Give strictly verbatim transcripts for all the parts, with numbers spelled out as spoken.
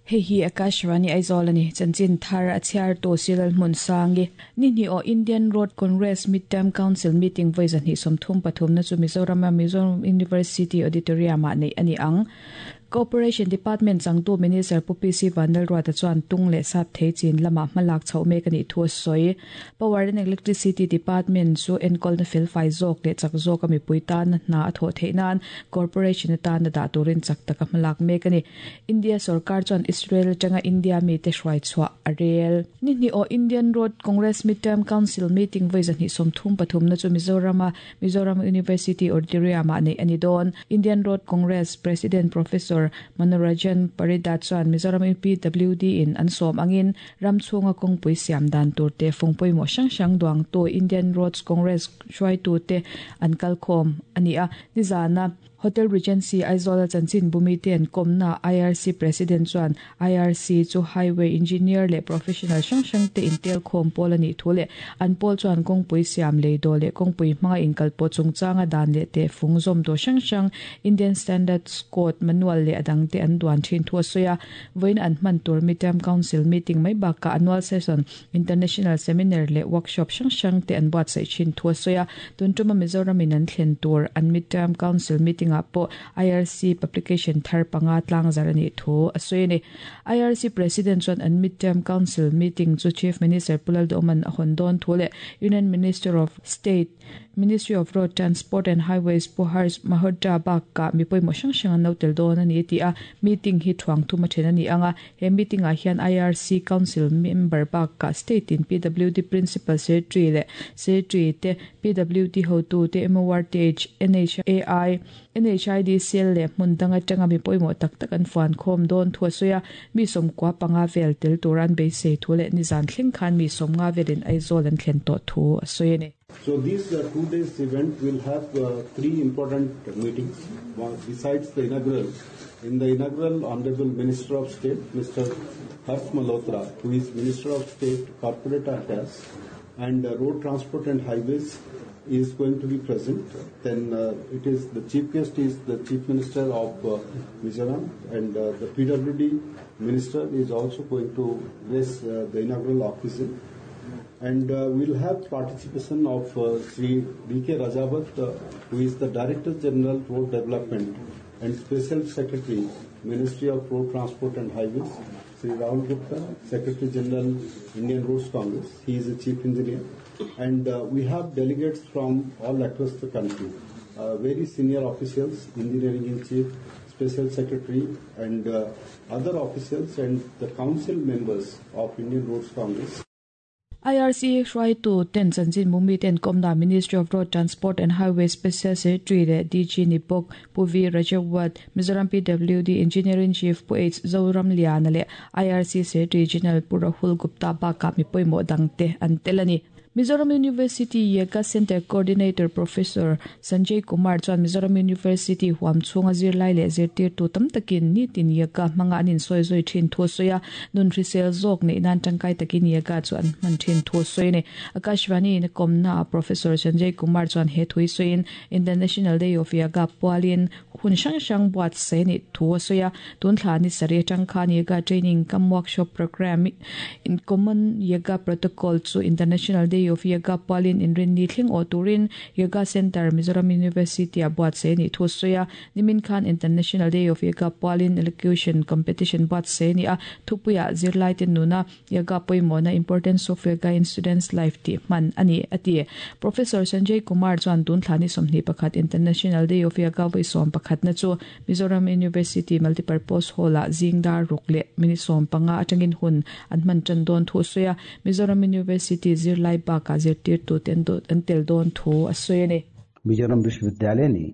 Hei hi Akashvani Aizawl ani chanchin thar a chhiar tu Silal Hmun Sangi ni ni o Indian Road Congress Midterm Council meeting voi zahni sawmthum pathum na chu Mizoram a Mizoram University Auditorium ah nei ani ang. Cooperation Department changtu Minister Pu P C Vanlalruata chuan tung leh sap thei chin lama hmalak chho mek ani thu a sawi. Power and Electricity Department chu enkawl na felfai zawk leh chak zawk a mipui tan hna a thawh theih nan corporation atan a dah turin chak taka hmalak mek ani. India sarkar chuan Israel atanga India mi te hruai chhuah a rel. Ni hnih aw Indian Road Congress Midterm Council meeting voi zahnih sawmthum pathum na chu Mizoram a Mizoram University Auditorium ah nei ani dawn. Indian Road Congress President Professor Manoranjan Parida chuan Mizoram P W D in an sawm angin ram chhunga kawngpui siam dan tur te fungpui mo hrang hrang duang tu Indian Roads Congress hruaitu te an kalkhawm ani a. Nizana Hotel Regency Aizawl a chanchin bumi te an kawmna I R C President chuan I R C chu highway engineer leh professional hrang hrang te intel khawm pawl ani thu leh an pawl chuan kawngpui siam lei do leh kawngpui hmanga inkalpawh chungchanga dan leh te fung zawm tur hrang hrang, Indian Standards Code manual leh adang te an duan thin thu a sawi a. Vawiin an hman tur Midterm Council meeting mai bakah annual session, international seminar leh workshop hrang hrang te an buatsaih thin thu a sawi a. Tun tuma Mizoram in an thlen tur an Midterm Council meeting ah pawh I R C publication thar panga tlang zar ani thu a sawi ani. I R C President chuan an Midterm Council meeting chu Chief Minister Pu Lalduhoma'n a hawn dawn thu leh Union Minister of State, Ministry of Road Transport and Highways Pu Harsh Malhotra bakah mi pawimawh hrang hrang an lo tel dawn ani ti a. Meeting hi thuang thum a then ani anga, he meeting ah hian I R C Council member bakah state in P W D Principal Secretary leh Secretary te, P W D hotu te, M O R T H, N H A I, N H I D C L leh hmun dang atanga mi pawimawh tak tak an fuan khawm dawn thu a sawi a. Mi sawmkua panga vel tel turan beisei thu leh nizan thleng khan mi sawmnga velin Aizawl an thlen tawh thu a sawi ani. So this uh, two days event will have uh, three important meetings. One, besides the inaugural, in the inaugural, Honorable Minister of State, Mister Harsh Malhotra, who is Minister of State, Corporate Affairs and uh, Road Transport and Highways, is going to be present. Then uh, it is the chief guest is the Chief Minister of uh, Mizoram, and uh, the P W D Minister is also going to grace uh, the inaugural occasion. And uh, we'll have participation of uh, Sri D K. Rajawat, uh, who is the Director General, Road Development and Special Secretary, Ministry of Road Transport and Highways, Sri Rahul Gupta, Secretary General, Indian Roads Congress. He is a Chief Engineer. And uh, we have delegates from all across the country, uh, very senior officials, Engineering in Chief, Special Secretary, and uh, other officials and the council members of Indian Roads Congress. I R C hruaitu ten chanchin mumi ten komna Ministry of Road Transport and Highway Special Secretary leh D G ni bawk Pu V Rajawat, Mizoram P W D Engineering Chief Pu H Zoram Liana leh I R C Secretary General Pu Rahul Gupta bakah mi pawimawh dangte an tel ani. Mizoram University Yoga Center Coordinator Professor Sanjay Kumar chuan Mizoram University huam chhunga zirlai leh zirtir tu tam takin nitin yoga hmanga an insawi zui thin thu a sawi a. Nun hrisel zawk neih nan tangkai takin yoga chu an hman thin thu a sawi ani. Akashvani in kawmna Professor Sanjay Kumar chuan he thui sawiin International Day of Yoga pualin hun hrang hrang buat se ni thu a sawi a. Tun thla ni sarih atang khan yoga training cum workshop program in Common Yoga Protocol chu International Day of Yoga pualin inrin ni thleng aw turin Yoga Center, Mizoram University a buat se ni thu sawi a. Nimin khan International Day of Yoga pualin elocution competition buat se ni a, thupuia zirlai ten nuna yoga pawimawhna, importance of yoga in students' life ti hman ani ati. Professor Sanjay Kumar chuan tun thla ni sawmhnih pakhat International Day of Yoga voi sawm pakhat na chu Mizoram University Multipurpose Hall ah zingdar ruk leh minute sawm panga atangin hun an hman tan dawn thu sawi a. Mizoram University zirlai bakah zirtir tu te an tel dawn thu a sawi ani. Mizoram विश्वविद्यालय ने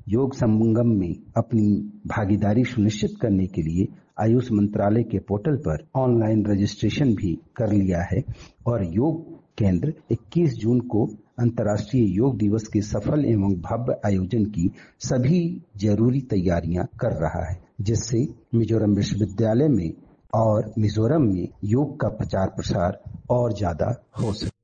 योग संगम में अपनी भागीदारी सुनिश्चित करने के लिए आयुष मंत्रालय के पोर्टल पर ऑनलाइन रजिस्ट्रेशन भी कर लिया है और योग केंद्र इक्कीस जून को अंतर्राष्ट्रीय योग दिवस के सफल एवं भव्य आयोजन की सभी जरूरी तैयारियां कर रहा है, जिससे मिजोरम विश्वविद्यालय में और मिजोरम में योग का प्रचार प्रसार और ज्यादा हो सके।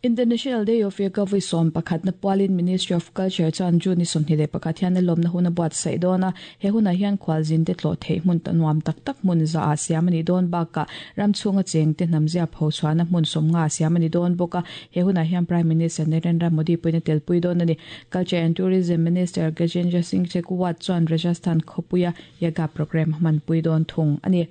International Day of Yoga voi som pakhat na pualin Ministry of Culture chuan June ni sawmhnih leh pakhat hian a lawmna hun a buatsaih dawn a, he hunah hian khualzin te tlawh theih hmun nuam tak tak hmun za ah siam a ni dawn bakah ram chhunga cheng te hnamzia pho chhuahna hmun sawmnga siam a ni dawn bawk a, he hunah hian Prime Minister Narendra Modi pawhin a telpui dawn a ni. Culture and Tourism Minister Gajendra Singh Shekhawat chuan Rajasthan khawpuia yoga program hmanpui dawn thung a ni.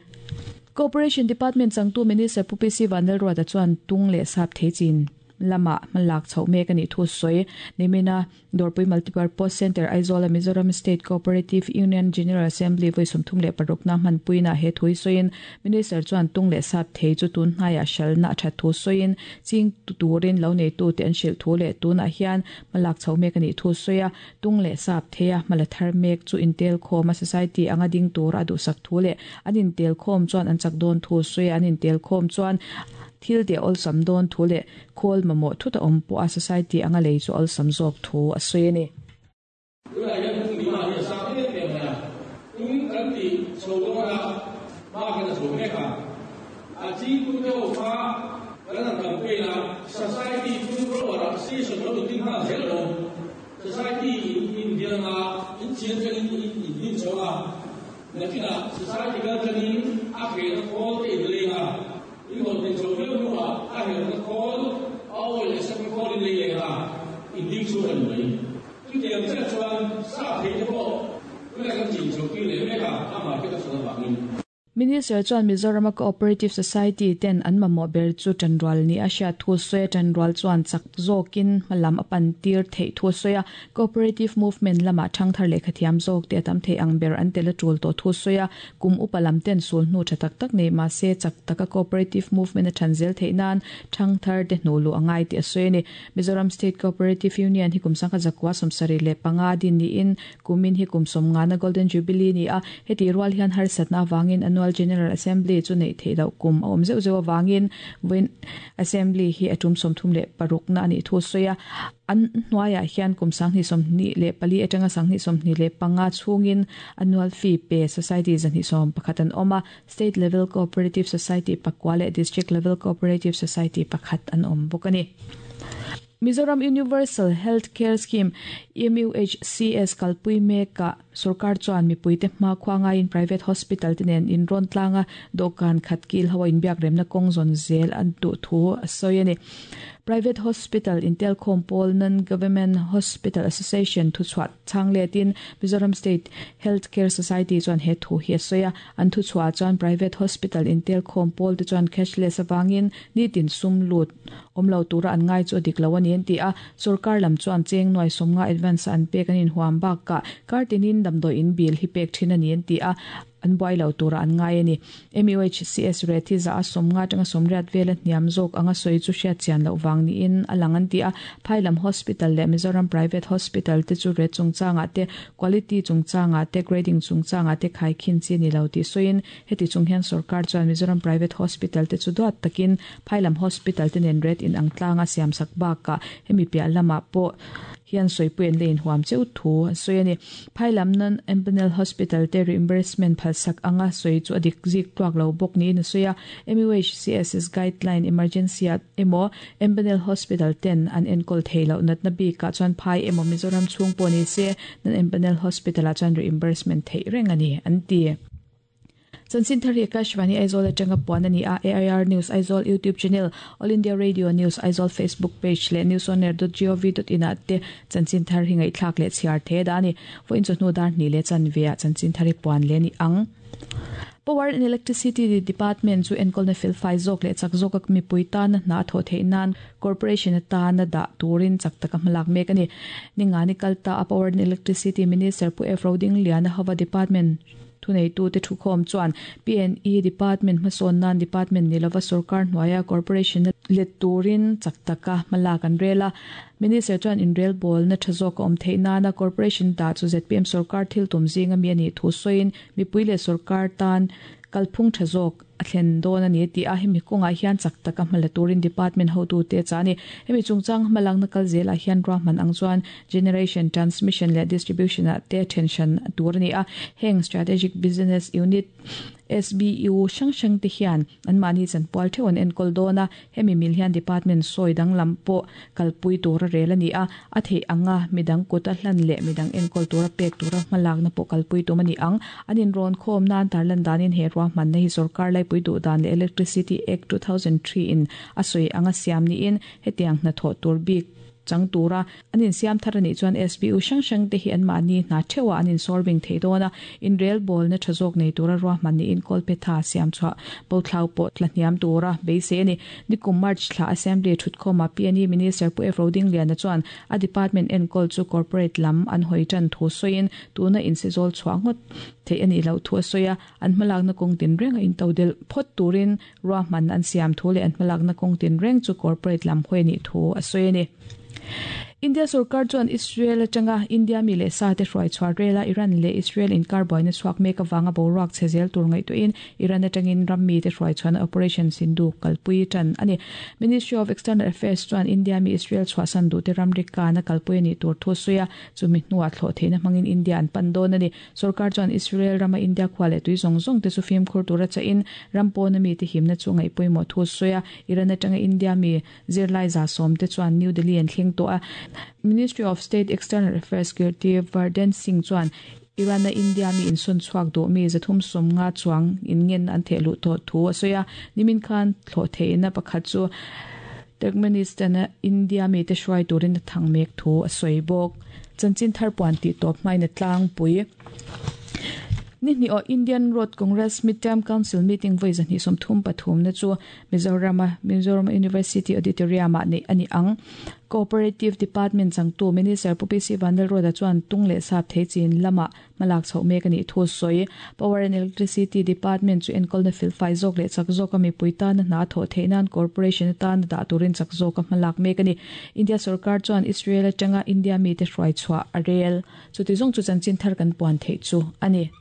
Cooperation Department changtu Minister Pu P C Vanlalruata chuan tung leh sap thei chin lama hmalak chhoh mek a nih thu sawi. Nimina Dawrpui Multipurpose Centre Aizawl a Mizoram State Cooperative Union General Assembly voi sawmthum leh parukna hmanpuina he thui sawiin Minister chuan tung leh sap thei chu tun hnaiah hralna a that thu sawiin ching turin lo nei tu te an hrilh thu leh tunah hian hmalak chhoh mek a nih thu sawi a, tung leh sap thei a hmala thar mek chu intel khawm a society anga ding tur a duhsak thu leh an intel khawm chuan an chak dawn thu sawi a, an intel khawm chuan thil te awlsam dawn thu leh khawl mamawh thuta awm pawh a society anga lei chu awlsam zawk thu a sawi a ni. Minister chuan Mizoram Cooperative Society ten an mamawh ber chu tanrual ni a hriat thu sawi a, tanrual chuan chak zawkin hmalam a pan tir theih thu sawi a, cooperative movement lama thangthar lehkha thiam zawk te a tam thei ang ber an tel a tul tawh thu sawi a, kum upa lam ten sul hnu tha tak tak nei mahse chak taka cooperative movement a than zel theih nan thangthar te hnu lu angai ti a sawi a ni. Mizoram State Cooperative Union hi kum sangkhat zakua sawmsarih leh panga din niin kumin hi kum sawmnga na Golden Jubilee ni a, heti rual hian harsatna awangin annual General Assembly chu nei theih loh kum a awm zeuh zeuh awangin vawiin Assembly hi a tum sawmthum leh parukna a nih thu sawi a, an hnuaiah hian kum sanghnih sawmhnih leh pali atanga sanghnih sawmhnih leh panga chhungin annual fee pe society zahnih sawm pakhat an awm a, State Level Cooperative Society pakua leh District Level Cooperative Society pakhat an awm bawk a ni. Mizoram Universal Health Care Scheme M U H C S kalpui meka sarkar chuan mipui te hma khuangain private hospital te nen in rawn tlanga dawhkan khat kil hawa inbiak remna kawng zawn zel an duh thu a sawi a ni. Private Hospital Intel Khompawl Non-Government Hospital Association thu chhuah changletin Mizoram State Healthcare Society chuan he thu hi a sawi a, an thu chhuah chuan private hospital Intel Khompawl te chuan cashless awangin nitin sum lut awmlo tura an ngai chu a dik lo ani an ti a, sarkar lam chuan cheng nuai sawmnga advance an pek an inhuam bakah kartinin damdawi in bill hi pek thin ani an ti a, an buai lo tura an ngai ani. M U H C S rate hi za a sawmnga atanga sawmriat vela hniam zawk anga sawi chu hriat chian loh wang niin a lang an ti a, Phailam Hospital leh Mizoram Private Hospital te chu rate chungchangah te quality chungchangah te grading chungchangah te khai khin chi ni lo ti sawiin heti chung hian sarkar chuan Mizoram Private Hospital te chu duat takin Phailam Hospital te nen rate in ang tlanga siam sak bakah hemi piah lamah pawh hian sawipui an lein huam cheu thu a sawi a ni. Phailam Non Empanel Hospital te reimbursement phalsak anga sawi chu a dik zik tluak lo bawk niin a sawi a, M U H C S S guideline emergency ah emaw Empanel Hospital ten an enkawl thei loh natna bikah chuan phai emaw Mizoram chhung pawh ni se Non Empanel Hospital ah chuan reimbursement theih reng a ni an ti. Chanchin thar hi Akashvani Aizawl atanga puan ani a, A I R News Aizawl YouTube channel, All India Radio News Aizawl Facebook page leh news on air dot gov dot in ah te chanchin thar hi ngaihthlak leh chhiar the da ani. Vawiin chu hnu dar hnih leh chanve ah chanchin thar hi puan le ni ang. Power and Electricity Department chu enkawlna felfai zawk leh chak zawk a mipui tana hna thaw theih nan corporation atana dah turin chak taka hmalak mek ani. Ningani kalta a Power and Electricity Minister Pu F Roding Liana hawa department thunei tu te thu khawm chuan P and E Department hmasawn nan department ni lova sarkar hnuaia corporation let turin chak taka hmalak an rel a. Minister chuan inrel bawl na tha zawk a awm theih nana corporation ta chu Z P M sarkar thil tum zinga mi ani thu sawiin mipui leh sarkar tan kalphung tha zawk a thlen dawn ani ti a, hemi kawngah hian chak taka hmala turin department hotu te chani hemi chungchang hmalak na kal zelah hian ruahman ang chuan generation transmission leh distribution ah te tension tur ani a, heng strategic business unit S B U hrang hrang te hian an mahni chanpual theuh an enkawl dawn a, hemi mil hian department sawi danglam pawh kalpui tura rel ani a, a theih anga midang kut a hlan leh midang enkawl tura pek tura hmalakna pawh kalpui tum ani ang. An inrawn khawm nan tarlan danin he ruahmanna hi sarkar laipui duh dan leh Electricity Act two thousand three in a sawi anga siam niin hetiang hnathawh tur bik chang tura an insiam thar ani chuan S B U hrang hrang te hi an mahni hna theuha an insolving thei dawn a, in rel bawl na tha zawk nei tura ruahman niin Kolpetha siam chhuah bothlau pawh tla hniam tura beisei ani. Nikum March thla Assembly thutkhawma P N E Minister Pu F Rodingliana chuan a department enkawl chu corporate lam an hawi tan thu sawiin tuna insizawl chhuah ngawt thei ani lo thu a sawi a, an hmalakna kawng tin reng a intodel phawt turin ruahman an siam thu leh an hmalakna kawng tin reng chu corporate lam hawi ani thu a sawi ani. India sarkar chuan Israel atanga India mi leh sa te hruai chhuah rela Iran leh Israel inkar buaina chhuak mek awanga boruak che zel tur ngaihtuahin Iran atangin ram mi te hruai chhuahna Operation Sindu kalpui tan ani. Ministry of External Affairs chuan India mi Israel chhuahsan duh te ramri kana kalpui ani tur thu sawi a, chumi hnuah thlawh theihna hmangin India an pan dawn ani. Sarkar chuan Israel rama India khua leh tui zawng zawng te chu fimkhur tura chahin ram pawna mi te himna chu ngaihpawimawh thu sawi a, Iran atanga India mi zirlai za sawm te chuan New Delhi an thleng tawh a. Ministry of State External Affairs Kirti Vardhan Singh chuan Iran na India mi insun chhuak duh mi zathum sawm nga chuang in ngen an theh luh tawh thu a sawi a, nimin khan thlawh theihna pakhat chu Turkmenistan a India mi te hruai turin a thang mek thu a sawi bawk. Chanchin thar puan tih tawp hmain a tlangpui. Ni hnih aw Indian Road Congress Midterm Council meeting voi zahnih sawmthum pathum na chu Mizoram Mizoram University Auditorium ah nei ani ang. Cooperative Department changtu Minister Pu P C Vanlalruata chuan tung leh sap thei chin lama hmalak chhoh mek ani thu sawi. Power and Electricity Department chu enkawlna felfai zawk leh chak zawk a mipui tana hna thawh theih nan corporation atan dah turin chak zawk a hmalak mek ani. India sarkar chuan Israel atanga India mi te hruai chhuah a rel. Chuti zawng chu chanchin thar kan puan theih chu ani.